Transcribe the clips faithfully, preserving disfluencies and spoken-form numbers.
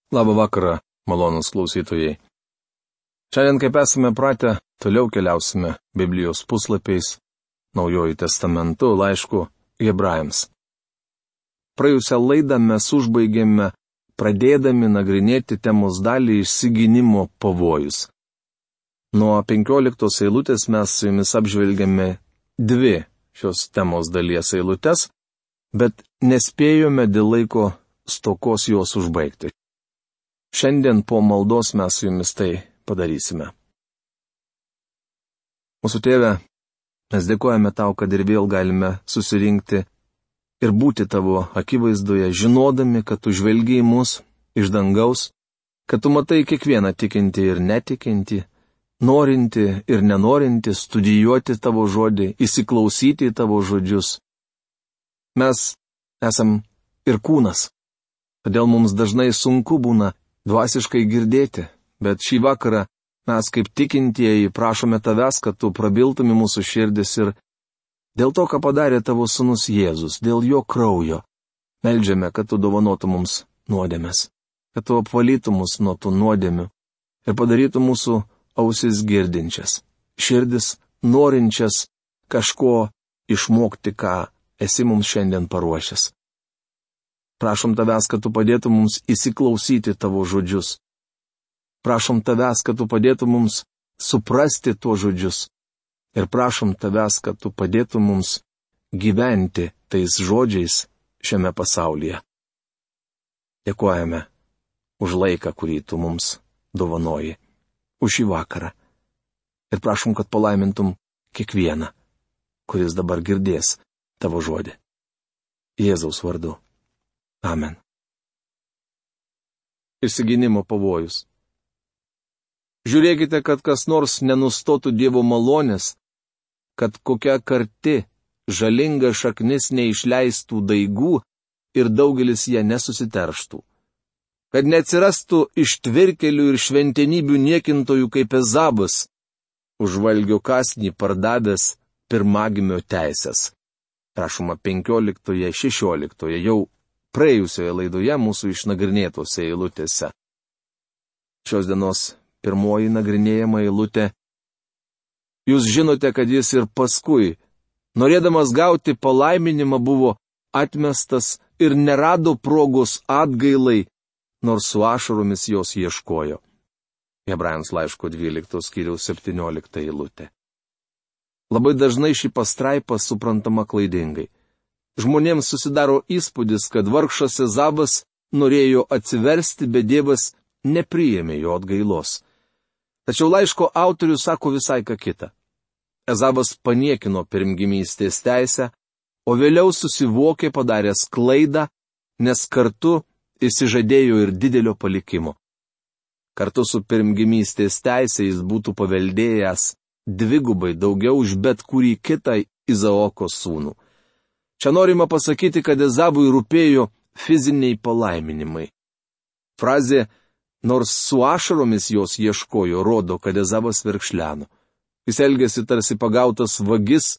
Labą vakarą, malonūs klausytojai. Šiandien, kaip esame pratę, toliau keliausime Biblijos puslapiais, Naujuoju testamentu, laišku Hebrajams. Praėjusią laidą mes užbaigėme, pradėdami nagrinėti temos dalį išsiginimo pavojus. Nuo penkioliktos eilutės mes su jumis apžvelgėme dvi šios temos dalies eilutes, bet nespėjome dėl laiko stokos jos užbaigti. Šiandien po maldos mes su jumis tai padarysime. Mūsų tėve, mes dėkojame tau, kad ir vėl galime susirinkti ir būti tavo akivaizdoje, žinodami, kad tu žvelgi į mus iš dangaus, kad tu matai kiekvieną tikintį ir netikinti, norinti ir nenorinti studijuoti tavo žodį, įsiklausyti į tavo žodžius. Mes esam ir kūnas, todėl mums dažnai sunku būna dvasiškai girdėti, bet šį vakarą mes kaip tikintieji prašome tavęs, kad tu prabiltum į mūsų širdis ir dėl to, ką padarė tavo sūnus Jėzus, dėl jo kraujo, meldžiame, kad tu dovanotum mums nuodėmes, kad tu apvalytum mus nuo tų nuodėmių ir padarytum mūsų ausis girdinčias, širdis norinčias kažko išmokti, ką esi mums šiandien paruošęs. Prašom tavęs, kad tu padėtum mums įsiklausyti tavo žodžius. Prašom tavęs, kad tu padėtum mums suprasti tuos žodžius. Ir prašom tavęs, kad tu padėtum mums gyventi tais žodžiais šiame pasaulyje. Dėkojame už laiką, kurį tu mums dovanoji, už šį vakarą. Ir prašom, kad palaimintum kiekvieną, kuris dabar girdės tavo žodį. Jėzaus vardu. Amen. Išsiginimo pavojus. Žiūrėkite, kad kas nors nenustotų Dievo malonės, kad kokia karti, žalinga šaknis neišleistų daigų ir daugelis ją nesusiterštų. Kad neatsirastų ištvirkelių ir šventenybių niekintojų kaip Ezabas, užvalgio kąsnį pardavęs pirmagimio teisės. Prašoma penkioliktoje, šešioliktoje jau praėjusioje laidoje mūsų išnagrinėtose eilutėse. Šios dienos pirmoji nagrinėjama eilutė. Jūs žinote, kad jis ir paskui, norėdamas gauti palaiminimą, buvo atmestas ir nerado progos atgailai, nors su ašaromis jos ieškojo. Hebrajams laiško dvyliktos skyriaus septyniolikta eilutė. Labai dažnai ši pastraipa suprantama klaidingai. Žmonėms susidaro įspūdis, kad vargšas Ezabas norėjo atsiversti, bet Dievas nepriėmė jo atgailos. Tačiau laiško autorius sako visai ką kitą. Ezabas paniekino pirmgimystės teisę, o vėliau susivokė padaręs klaidą, nes kartu išsižadėjo ir didelio palikimo. Kartu su pirmgimystės teisė jis būtų paveldėjęs dvigubai daugiau už bet kurį kitą Izaoko sūnų. Čia norima pasakyti, kad Ezabui rūpėjo fiziniai palaiminimai. Frazė, nors su ašaromis jos ieškojo, rodo, kad Ezabas verkšleno. Jis elgėsi tarsi pagautas vagis,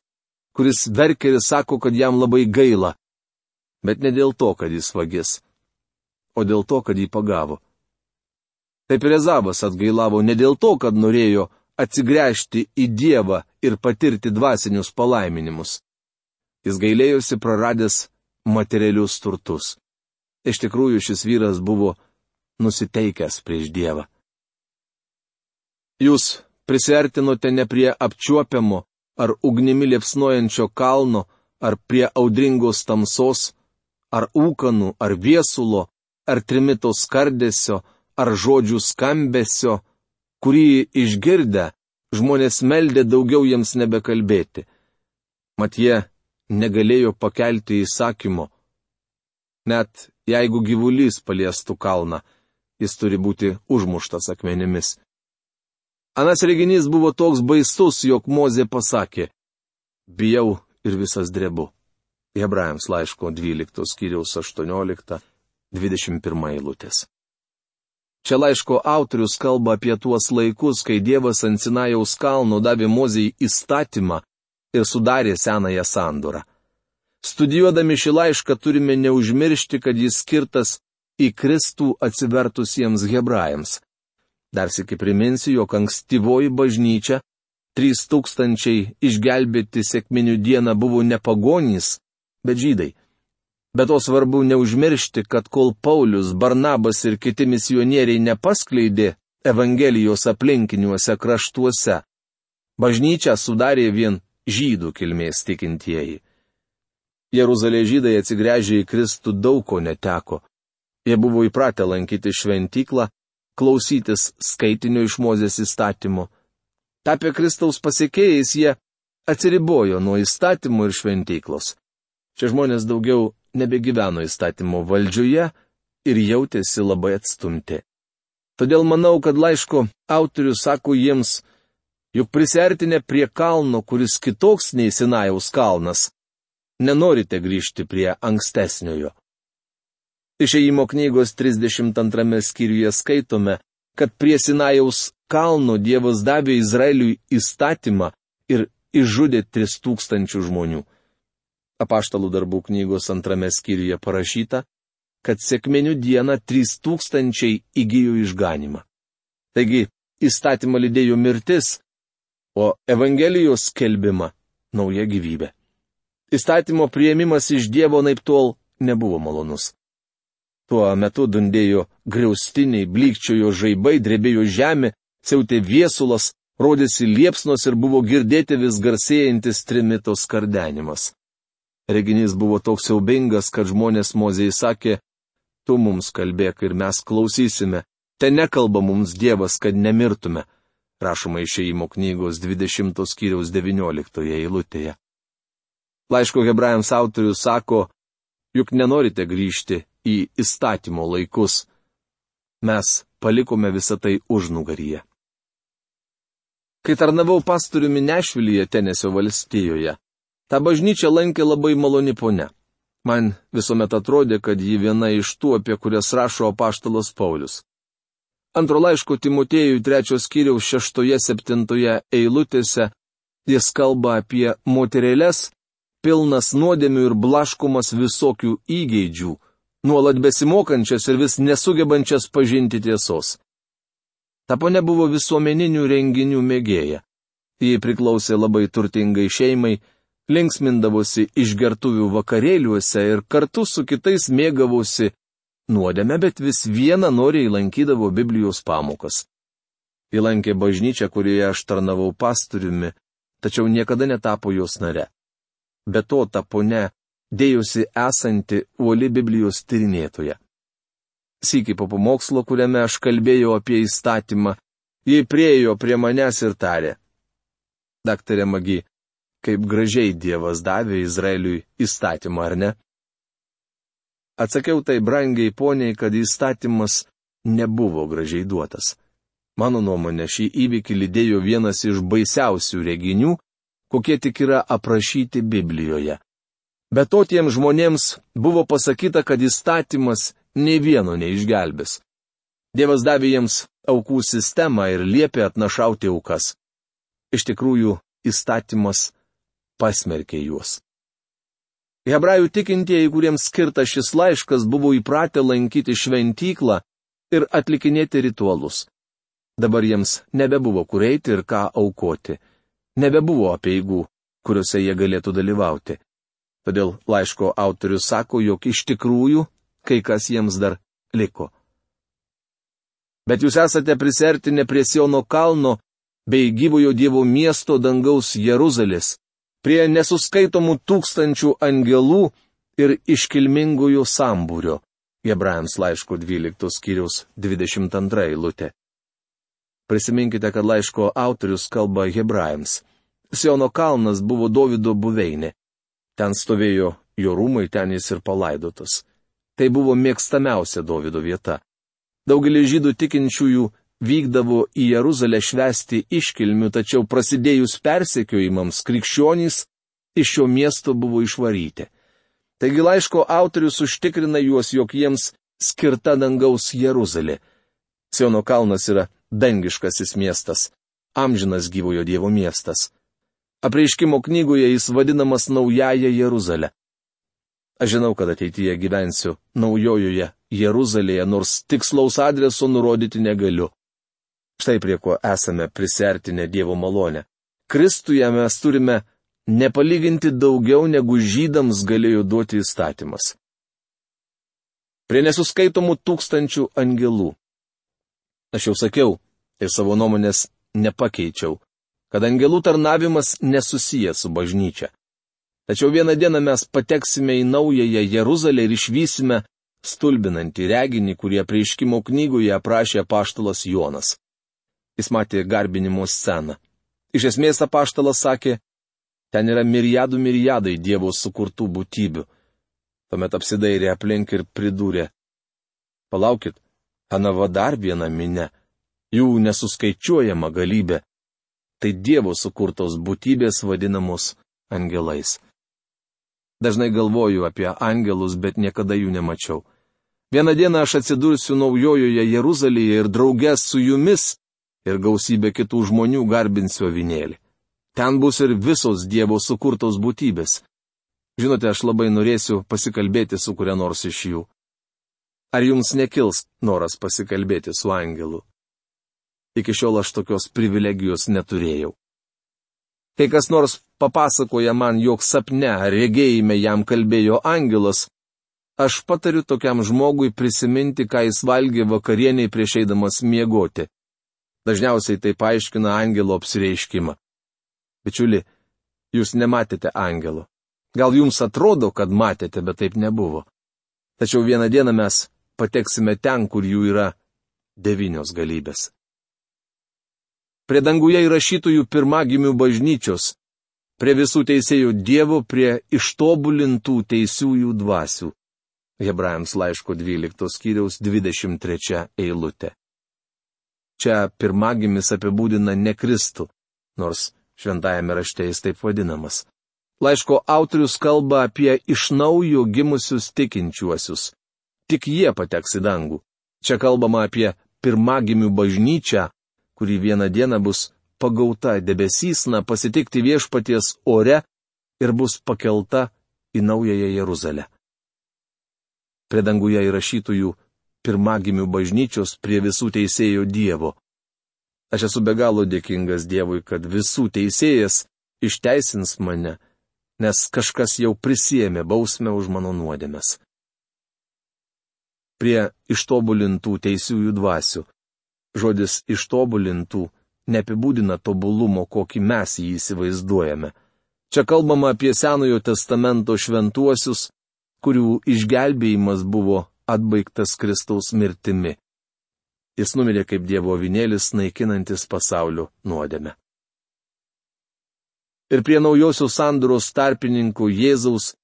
kuris verkia ir sako, kad jam labai gaila. Bet ne dėl to, kad jis vagis, o dėl to, kad jį pagavo. Taip ir Ezabas atgailavo ne dėl to, kad norėjo atsigręžti į Dievą ir patirti dvasinius palaiminimus. Jis gailėjosi praradęs materialius turtus. Iš tikrųjų, šis vyras buvo nusiteikęs prieš Dievą. Jūs prisiartinote ne prie apčiuopiamo ar ugnimi liepsnojančio kalno, ar prie audringos tamsos, ar ūkanų, ar viesulo, ar trimito skardesio, ar žodžių skambesio, kurį išgirdę žmonės meldė daugiau jiems nebekalbėti. Mat jie negalėjo pakelti įsakymo. Net jeigu gyvulys paliestų kalną, jis turi būti užmuštas akmenimis. Anas reginys buvo toks baisus, jog Mozė pasakė, bijau ir visas drebu. Hebrajams laiško dvyliktos skyriaus aštuoniolikta dvidešimt pirma eilutės. Čia laiško autorius kalba apie tuos laikus, kai Dievas ant Sinajaus kalno davė Mozei įstatymą ir sudarė senąją sandorą. Studijuodami šį laišką turime neužmiršti, kad jis skirtas į Kristų atsivertusiems hebrajams. Dar sykį priminsiu, jog ankstyvoji bažnyčia, trys tūkstančiai išgelbėti sekminių dieną buvo ne pagonys, bet žydai. Bet to svarbu neužmiršti, kad kol Paulius, Barnabas ir kiti misionieriai nepaskleidė Evangelijos aplinkiniuose kraštuose, bažnyčią sudarė vien žydų kilmės tikintieji. Jeruzalės žydai atsigręžę į Kristų daug ko neteko. Jie buvo įpratę lankyti šventyklą, klausytis skaitinio iš Mozės įstatymo. Tapę Kristaus pasekėjais, jie atsiribojo nuo įstatymo ir šventyklos. Šie žmonės daugiau nebegyveno įstatymo valdžioje ir jautėsi labai atstumti. Todėl manau, kad laiško autorius sako jiems, juk prisiartinę prie kalno, kuris kitoks nei Sinajaus kalnas, nenorite grįžti prie ankstesniojo. Išėjimo knygos trisdešimt antrame skyriuje skaitome, kad prie Sinajaus kalno Dievas davė Izraeliui įstatymą ir išžudė tris tūkstančių žmonių. Apaštalų darbų knygos antrame skyriuje parašyta, kad sekminių dieną trys tūkstančiai įgijo išganimą. Taigi, įstatymą lydėjo mirtis, o Evangelijos skelbimą nauja gyvybė. Įstatymo priėmimas iš Dievo naiptol nebuvo malonus. Tuo metu dundėjo griaustiniai, blykčiojo žaibai, drebėjo žemė, siautė viesulas, rodėsi liepsnos ir buvo girdėti vis garsėjantis trimito skardenimas. Reginys buvo toks siaubingas, kad žmonės Mozei sakė, tu mums kalbėk ir mes klausysime, te nekalba mums Dievas, kad nemirtume, rašoma Išėjimo knygos dvidešimto skyriaus devynioliktoje eilutėje. Laiško hebrajams autorius sako, juk nenorite grįžti į įstatymo laikus. Mes palikome visą tai užnugaryje. Kai tarnavau pastoriumi Nešvilyje, Tenesio valstijoje, tą bažnyčią lankė labai maloni ponia. Man visuomet atrodė, kad ji viena iš tų, apie kurias rašo apaštalas Paulius. Antro laiško Timotiejui trečios skyriaus šeštoje septintoje eilutėse jis kalba apie moterėles, pilnas nuodėmių ir blaškomas visokių įgeidžių, nuolat besimokančias ir vis nesugebančias pažinti tiesos. Ta ponia buvo visuomeninių renginių mėgėja. Ji priklausė labai turtingai šeimai, linksmindavosi išgertuvių vakarėliuose ir kartu su kitais mėgavosi nuodėme, bet vis viena noriai lankydavo Biblijos pamokas. Ji lankė bažnyčią, kurioje aš tarnavau pastoriumi, tačiau niekada netapo jos nare. Be to, ta ponia dėjusi esanti uoli Biblijos tyrinėtoja. Sykį po pamokslo, kuriame aš kalbėjau apie įstatymą, ji priejo prie manęs ir tarė, daktarė Magi, kaip gražiai Dievas davė Izraeliui įstatymą, ar ne? Atsakiau tai brangiai poniai, kad įstatymas nebuvo gražiai duotas. Mano nuomonė, šį įvykį lydėjo vienas iš baisiausių reginių, kokie tik yra aprašyti Biblijoje. Be to tiems žmonėms buvo pasakyta, kad įstatymas nei vieno neišgelbės. Dievas davė jiems aukų sistemą ir liepė atnašauti aukas. Iš tikrųjų, įstatymas pasmerkė juos. Hebrajų tikintieji, kuriems skirtas šis laiškas, buvo įpratę lankyti šventyklą ir atlikinėti ritualus. Dabar jiems nebebuvo kur eiti ir ką aukoti. Nebebuvo apeigų, kuriuose jie galėtų dalyvauti. Todėl laiško autorius sako, jog iš tikrųjų kai kas jiems dar liko. Bet jūs esate prisiartinę prie Siono kalno bei gyvojo Dievo miesto dangaus Jeruzalės, prie nesuskaitomų tūkstančių angelų ir iškilmingojo sambūrio. Hebrajams laiško dvyliktos skyriaus dvidešimt antra eilutė. Prisiminkite, kad laiško autorius kalba hebrajams. Siono kalnas buvo Dovydo buveinė. Ten stovėjo jo rūmai, ten jis ir palaidotas. Tai buvo mėgstamiausia Dovydo vieta. Daugelis žydų tikinčiųjų vykdavo į Jeruzalę švęsti iškilmių, tačiau prasidėjus persekiojimams krikščionys iš šio miesto buvo išvaryti. Taigi laiško autorius užtikrina juos, jog jiems skirta dangaus Jeruzalė. Siono kalnas yra dangiškasis miestas, amžinas gyvojo Dievo miestas. Apreiškimo knygoje jis vadinamas Naująja Jeruzalė. Aš žinau, kad ateityje gyvensiu naujojoje Jeruzalėje, nors tikslaus adreso nurodyti negaliu. Štai prie ko esame prisertinę Dievo malonę. Kristuje mes turime nepalyginti daugiau, negu žydams galėjo duoti įstatymas. Prie nesuskaitomų tūkstančių angelų. Aš jau sakiau ir savo nuomonės nepakeičiau, kad angelų tarnavimas nesusijęs su bažnyčia. Tačiau vieną dieną mes pateksime į naująją Jeruzalę ir išvysime stulbinantį reginį, kurį Apreiškimo knygoje aprašė apaštalas Jonas. Jis matė garbinimo sceną. Iš esmės apaštalas sakė, ten yra mirijadų mirijadai Dievo sukurtų būtybių. Tuomet apsidairė aplink ir pridūrė, palaukit, anava dar viena minia, jų nesuskaičiuojama galybė. Tai Dievo sukurtos būtybės vadinamos angelais. Dažnai galvoju apie angelus, bet niekada jų nemačiau. Vieną dieną aš atsidursiu naujojoje Jeruzalėje ir draugės su jumis ir gausybė kitų žmonių garbinsiu avinėlį. Ten bus ir visos Dievo sukurtos būtybės. Žinote, aš labai norėsiu pasikalbėti su kuria nors iš jų. Ar jums nekils noras pasikalbėti su angelu? Iki šiol aš tokios privilegijos neturėjau. Kai kas nors papasakoja man, jog sapne ar regėjime jam kalbėjo angelas, aš patariu tokiam žmogui prisiminti, ką jis valgė vakarieniai prieš eidamas miegoti. Dažniausiai tai paaiškina angelo apsireiškimą. Bičiuli, jūs nematėte angelo. Gal jums atrodo, kad matėte, bet taip nebuvo. Tačiau vieną dieną mes pateksime ten, kur jų yra devynios galybės. Prie danguje įrašytųjų pirmagimių bažnyčios, prie visų teisėjų Dievo, prie ištobulintų teisiųjų dvasių. Hebrajams laiško dvyliktos skyriaus dvidešimt trečia eilutė. Čia pirmagimis apibūdina ne Kristų, nors šventajame rašte jis taip vadinamas. Laiško autorius kalba apie iš naujo gimusius tikinčiuosius. Tik jie pateks į dangų. Čia kalbama apie pirmagimių bažnyčią, kuri vieną dieną bus pagauta debesysna pasitikti viešpaties ore ir bus pakelta į naująją Jeruzalę. Prie danguje įrašytųjų pirmagimių bažnyčios prie visų teisėjų Dievo. Aš esu be galo dėkingas Dievui, kad visų teisėjas išteisins mane, nes kažkas jau prisiėmė bausmę už mano nuodėmes. Prie ištobulintų teisiųjų dvasių. Žodis ištobulintų neapibūdina tobulumo, kokį mes jį įsivaizduojame. Čia kalbama apie Senojo testamento šventuosius, kurių išgelbėjimas buvo atbaigtas Kristaus mirtimi. Jis numirė kaip Dievo avinėlis, naikinantis pasaulio nuodėmę. Ir prie naujosios sandoros tarpininkų Jėzaus,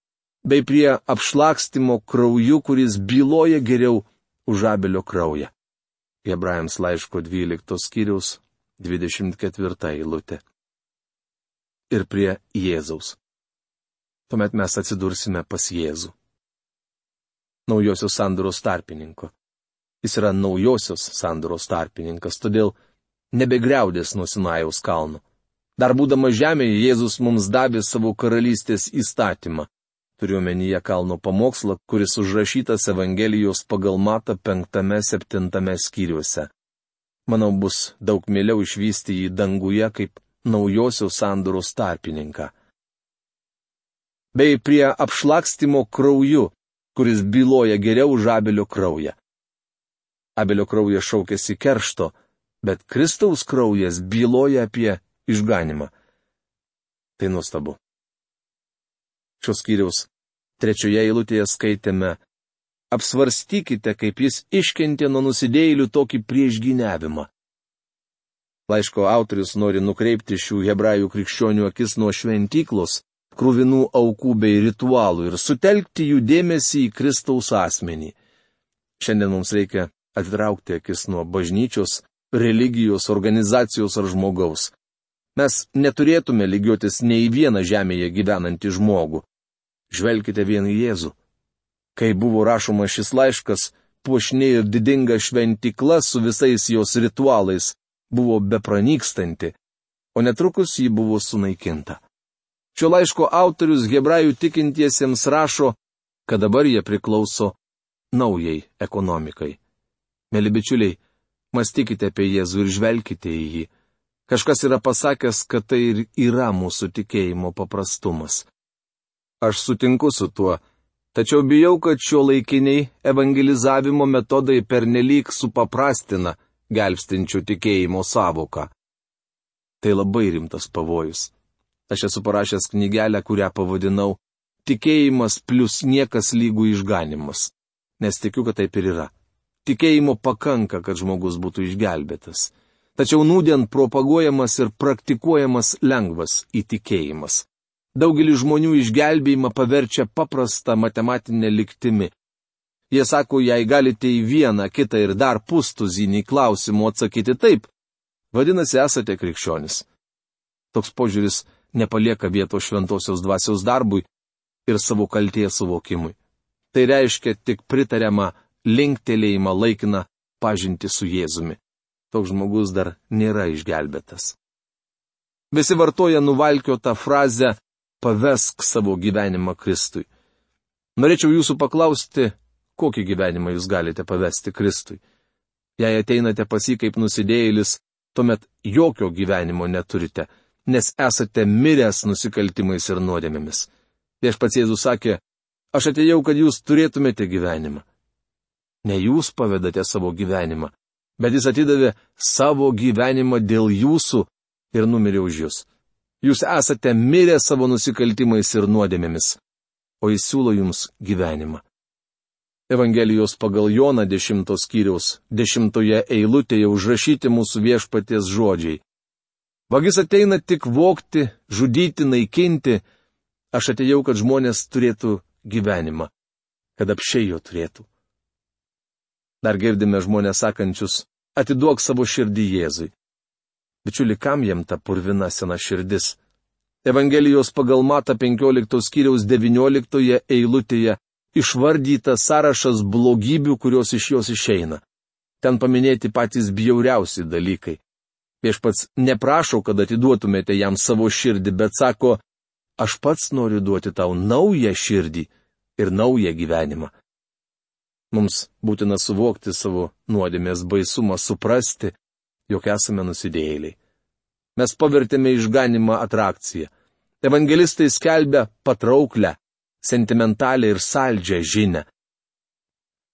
bei prie apšlakstymo krauju, kuris byloja geriau už Abelio kraują. Hebrajams laiško dvyliktos skyriaus dvidešimt ketvirta eilutė. Ir prie Jėzaus. Tuomet mes atsidursime pas Jėzų. Naujosios sandoros tarpininko. Jis yra naujosios sandoros tarpininkas, todėl nebegriaudės nuo Sinajaus kalno. Dar būdamas žemėje, Jėzus mums davė savo karalystės įstatymą. Turiu omenyje kalno pamokslą, kuris užrašytas Evangelijos pagal Matą penktame septintame skyriuose. Manau, bus daug mieliau išvysti jį danguje kaip naujosios sandoros tarpininką. Bei prie apšlakstymo krauju, kuris byloja geriau už Abelio kraują. Abelio kraujas šaukėsi keršto, bet Kristaus kraujas byloja apie išganimą. Tai nuostabu. Šios skyriaus trečioje eilutėje skaitėme: apsvarstykite, kaip jis iškentė nuo nusidėjėlių tokį priešgyniavimą. Laiško autorius nori nukreipti šių hebrajų krikščionių akis nuo šventyklos, kruvinų aukų bei ritualų ir sutelkti jų dėmesį į Kristaus asmenį. Šiandien mums reikia atitraukti akis nuo bažnyčios, religijos, organizacijos ar žmogaus. Mes neturėtume lygiuotis nei į vieną žemėje gyvenantį žmogų. Žvelkite vien į Jėzų. Kai buvo rašomas šis laiškas, puošni ir didinga šventykla su visais jos ritualais buvo bepranykstanti, o netrukus ji buvo sunaikinta. Šio laiško autorius hebrajų tikintiesiems rašo, kad dabar jie priklauso naujai ekonomikai. Mėly bičiuliai, mąstykite apie Jėzų ir žvelkite į jį. Kažkas yra pasakęs, kad tai ir yra mūsų tikėjimo paprastumas. Aš sutinku su tuo, tačiau bijau, kad šio laikiniai evangelizavimo metodai pernelyg supaprastina gelbstinčių tikėjimo sąvoką. Tai labai rimtas pavojus. Aš esu parašęs knygelę, kurią pavadinau Tikėjimas plus niekas lygų išganimas. Nes tikiu, kad taip ir yra. Tikėjimo pakanka, kad žmogus būtų išgelbėtas. Tačiau nūdien propaguojamas ir praktikuojamas lengvas įtikėjimas. Daugelis žmonių išgelbėjimą paverčia paprastą matematinę lygtimi. Jie sako, jei galite į vieną, kitą ir dar pustuzinį klausimų atsakyti taip, vadinasi, esate krikščionis. Toks požiūris nepalieka vietos šventosios dvasios darbui ir savo kaltės suvokimui. Tai reiškia tik pritariamą linktelėjimą laikiną pažinti su Jėzumi. Toks žmogus dar nėra išgelbėtas. Visi vartoja nuvalkiotą frazę pavesk savo gyvenimą Kristui. Norėčiau jūsų paklausti, kokį gyvenimą jūs galite pavesti Kristui. Jei ateinate pas jį kaip nusidėjėlis, tuomet jokio gyvenimo neturite, nes esate miręs nusikaltimais ir nuodėmėmis. Viešpats Jėzus sakė, aš atėjau, kad jūs turėtumėte gyvenimą. Ne jūs pavedate savo gyvenimą, bet jis atidavė savo gyvenimą dėl jūsų ir numirė už jūs. Jūs esate mirę savo nusikaltimais ir nuodėmėmis, o jis siūlo jums gyvenimą. Evangelijos pagal Joną dešimtos skyriaus dešimtoje eilutėje užrašyti mūsų viešpaties žodžiai. Vagis ateina tik vogti, žudyti, naikinti. Aš atėjau, kad žmonės turėtų gyvenimą, kad apsčiai jo turėtų. Dar girdime žmonės sakančius, atiduok savo širdį Jėzui. Bičiuli, kam jam ta purvina sena širdis? Evangelijos pagal Matą penkioliktos skyriaus devynioliktoje eilutėje išvardytas sąrašas blogybių, kurios iš jos išeina. Ten paminėti patys bjauriausi dalykai. Viešpats neprašo, kad atiduotumėte jam savo širdį, bet sako, aš pats noriu duoti tau naują širdį ir naują gyvenimą. Mums būtina suvokti savo nuodėmės baisumą, suprasti, jog esame nusidėjėliai. Mes pavertėme išganimą atrakciją. Evangelistai skelbia patrauklę, sentimentalią ir saldžią žinią.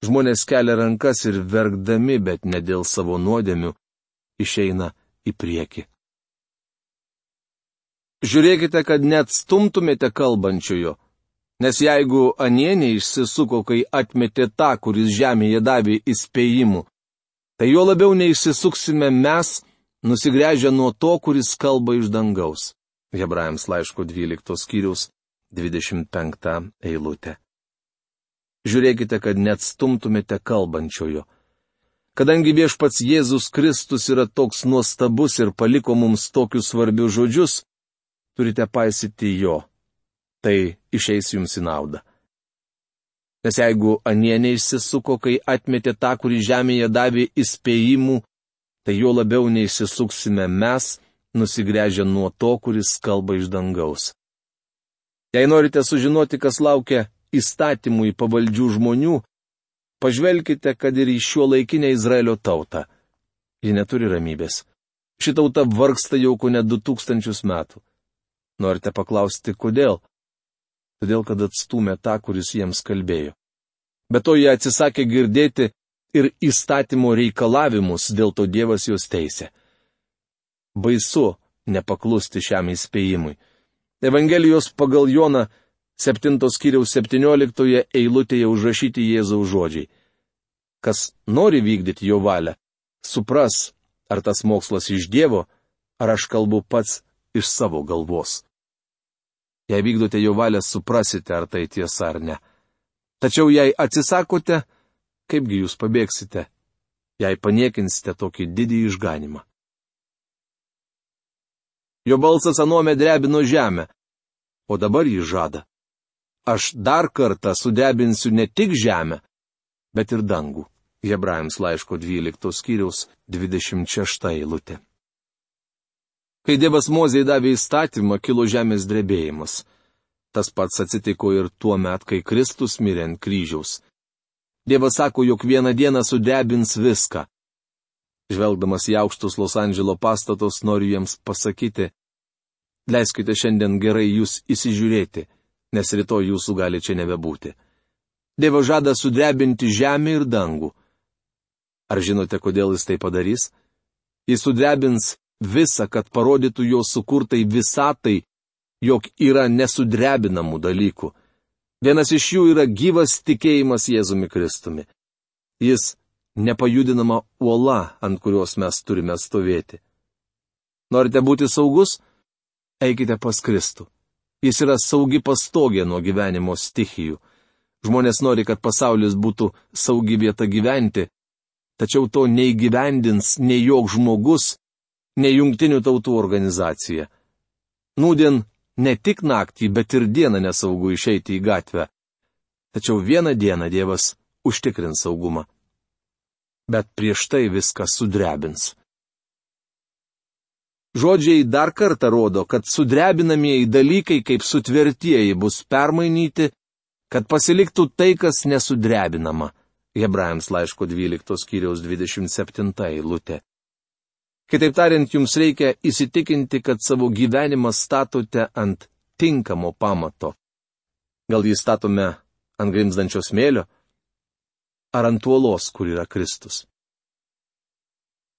Žmonės kelia rankas ir verkdami, bet ne dėl savo nuodėmių, išeina į priekį. Žiūrėkite, kad net stumtumėte kalbančiojo, nes jeigu anie neišsisuko, kai atmetė tą, kuris žemėje davė įspėjimų, tai jo labiau neišsisuksime mes, nusigręžę nuo to, kuris kalba iš dangaus. Hebrajams laiško dvyliktos skyriaus dvidešimt penktą eilutę. Žiūrėkite, kad net stumtumėte kalbančiojo. Kadangi viešpats Jėzus Kristus yra toks nuostabus ir paliko mums tokius svarbius žodžius, turite paisyti jo. Tai išeis jums į naudą. Nes jeigu anie neišsisuko, kai atmetė tą, kurį žemėje davė įspėjimų, tai jo labiau neišsisuksime mes, nusigręžę nuo to, kuris kalba iš dangaus. Jei norite sužinoti, kas laukia įstatymui pavaldžių žmonių, pažvelkite, kad ir į šio laikinę Izraelio tautą. Ji neturi ramybės. Ši tauta vargsta jau kone du tūkstančius metų. Norite paklausti, kodėl? Todėl, kad atstūmė tą, kuris jiems kalbėjo. Be to jie atsisakė girdėti ir įstatymo reikalavimus, dėl to Dievas juos teisė. Baisu nepaklusti šiam įspėjimui. Evangelijos pagal Joną septintos skyriaus septynioliktoje eilutėje užrašyti Jėzaus žodžiai. Kas nori vykdyti jo valią, supras, ar tas mokslas iš Dievo, ar aš kalbu pats iš savo galvos. Jei vykdote jo valią, suprasite, ar tai tiesa ar ne. Tačiau jei atsisakote, kaipgi jūs pabėgsite, jei paniekinsite tokį didį išganimą. Jo balsas anuomet drebino žemę, o dabar jį žada. Aš dar kartą sudrebinsiu ne tik žemę, bet ir dangų. Hebrajams laiško dvyliktos skyriaus dvidešimt šešta eilutė. Kai Dievas Mozei davė įstatymą, kilo žemės drebėjimas. Tas pats atsitiko ir tuo met, kai Kristus mirė ant kryžiaus. Dievas sako, jog vieną dieną sudrebins viską. Žvelgdamas į aukštus Los Andželo pastatus, noriu jiems pasakyti, leiskite šiandien gerai jūs įsižiūrėti, nes rytoj jūsų gali čia nebebūti. Dievas žada sudrebinti žemę ir dangų. Ar žinote, kodėl jis tai padarys? Jis sudrebins visą, kad parodytų jo sukurtai visatai, jog yra nesudrebinamų dalykų. Vienas iš jų yra gyvas tikėjimas Jėzumi Kristumi. Jis nepajudinama uola, ant kurios mes turime stovėti. Norite būti saugus? Eikite pas Kristų. Jis yra saugi pastogė nuo gyvenimo stichijų. Žmonės nori, kad pasaulis būtų saugi vieta gyventi, tačiau to neįgyvendins nei joks žmogus, nei jungtinių tautų organizacija. Nūdien ne tik naktį, bet ir dieną nesaugu išeiti į gatvę. Tačiau vieną dieną Dievas užtikrins saugumą. Bet prieš tai viską sudrebins. Žodžiai dar kartą rodo, kad sudrebinamieji dalykai kaip sutvertieji bus permainyti, kad pasiliktų tai, kas nesudrebinama. Hebrajams laiško dvyliktos skyriaus dvidešimt septinta eilutė. Kitaip tariant, jums reikia įsitikinti, kad savo gyvenimą statote ant tinkamo pamato. Gal jį statome ant grimzdančio smėlio? Ar ant uolos, kur yra Kristus?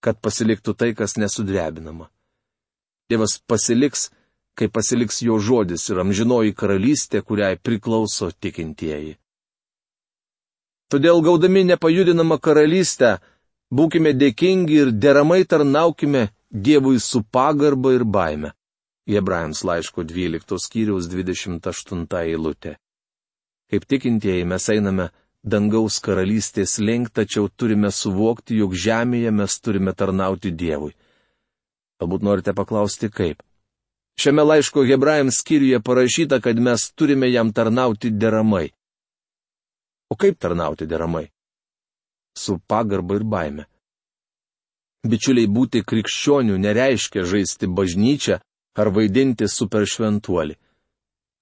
Kad pasiliktų tai, kas nesudrebinama. Dievas pasiliks, kai pasiliks jo žodis ir amžinoji karalystė, kuriai priklauso tikintieji. Todėl gaudami nepajudinamą karalystę, būkime dėkingi ir deramai tarnaukime Dievui su pagarba ir baime. Hebrajams laiško dvyliktos skyriaus dvidešimt aštunta eilutė. Kaip tikintieji mes einame dangaus karalystės link, tačiau turime suvokti, jog žemėje mes turime tarnauti Dievui. Galbūt norite paklausti, kaip. Šiame laiško Hebrajams skyriuje parašyta, kad mes turime jam tarnauti deramai. O kaip tarnauti deramai? Su pagarba ir baime. Bičiuliai, būti krikščionių nereiškia žaisti bažnyčią ar vaidinti superšventuolį.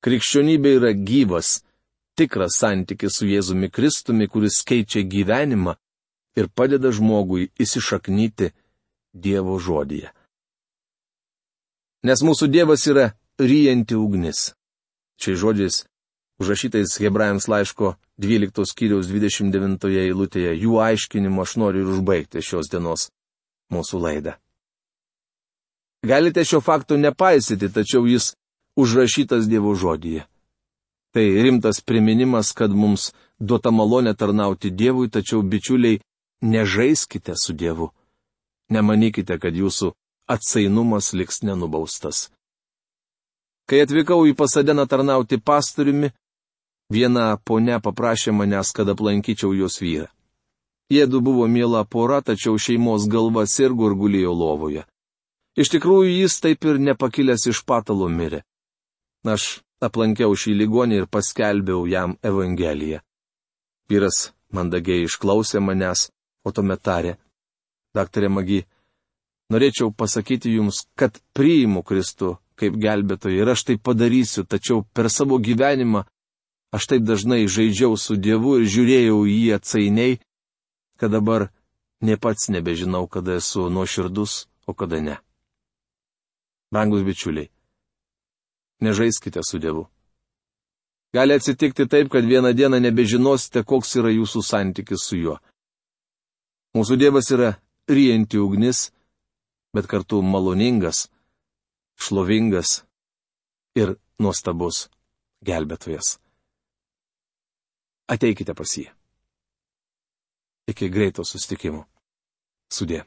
Krikščionybė yra gyvas, tikras santykis su Jėzumi Kristumi, kuris keičia gyvenimą ir padeda žmogui įsišaknyti Dievo žodyje. Nes mūsų Dievas yra ryjanti ugnis. Šiais žodžiais, užrašytais Hebrajams laiško dvyliktos skyriaus dvidešimt devintoje eilutėje, jų aiškinimu aš noriu ir užbaigti šios dienos mūsų laidą. Galite šio fakto nepaisyti, tačiau jis užrašytas Dievo žodyje. Tai rimtas priminimas, kad mums duota malonė tarnauti Dievui, tačiau bičiuliai, nežaiskite su Dievu. Nemanykite, kad jūsų atsainumas liks nenubaustas. Kai atvykau į Pasadeną tarnauti pastoriumi, viena ponia paprašė manęs, kad aplankyčiau jos vyrą. Jiedu buvo miela pora, tačiau šeimos galva sirgo ir gulėjo lovoje. Iš tikrųjų, jis taip ir nepakilęs iš patalo mirė. Aš aplankiau šį ligonį ir paskelbiau jam Evangeliją. Vyras mandagiai išklausė manęs, o tuomet tarė: Daktarė Magi, norėčiau pasakyti jums, kad priimu Kristų kaip gelbėtoją ir aš tai padarysiu, tačiau per savo gyvenimą aš taip dažnai žaidžiau su Dievu ir žiūrėjau į jį atsainiai, kad dabar ne pats nebežinau, kada esu nuoširdus, o kada ne. Brangus bičiuliai, nežaiskite su Dievu. Gali atsitikti taip, kad vieną dieną nebežinosite, koks yra jūsų santykis su juo. Mūsų Dievas yra ryjanti ugnis, bet kartu maloningas, šlovingas ir nuostabus gelbėtojas. Ateikite pas jį. Iki greito susitikimo. Sudie.